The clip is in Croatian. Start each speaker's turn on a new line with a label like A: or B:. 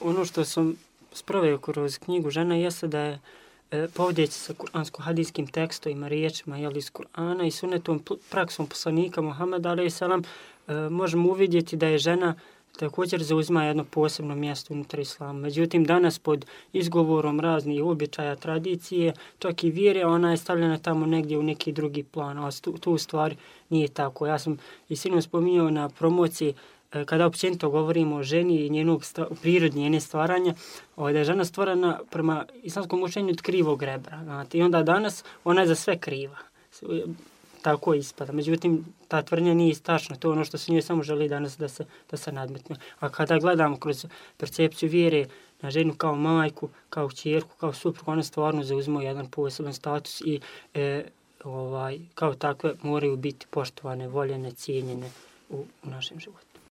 A: Ono što sam sproveo kroz knjigu Žena jeste da je povodeći sa kuransko-hadijskim tekstovima, riječima iz Kur'ana i sunetom praksom poslanika Muhameda a.s. možemo uvidjeti da je žena također zauzima jedno posebno mjesto unutar islama. Međutim, danas pod izgovorom raznih običaja, tradicije, čak i vjere, ona je stavljena tamo negdje u neki drugi plan, a tu u stvari nije tako. Ja sam i sinoć spominjao na promociji kada općenito govorimo o ženi i njenog prirodi, njene stvaranja, da je žena stvorena prema islamskom učenju od krivog rebra. Znate. I onda danas ona je za sve kriva. Tako ispada. Međutim, ta tvrdnja nije tačna. To je ono što se njoj samo želi danas da se nadmetne. A kada gledamo kroz percepciju vjere na ženu kao majku, kao kćerku, kao suprugu, ona stvarno zauzima jedan poseban status i kao takve moraju biti poštovane, voljene, cijenjene u našem životu.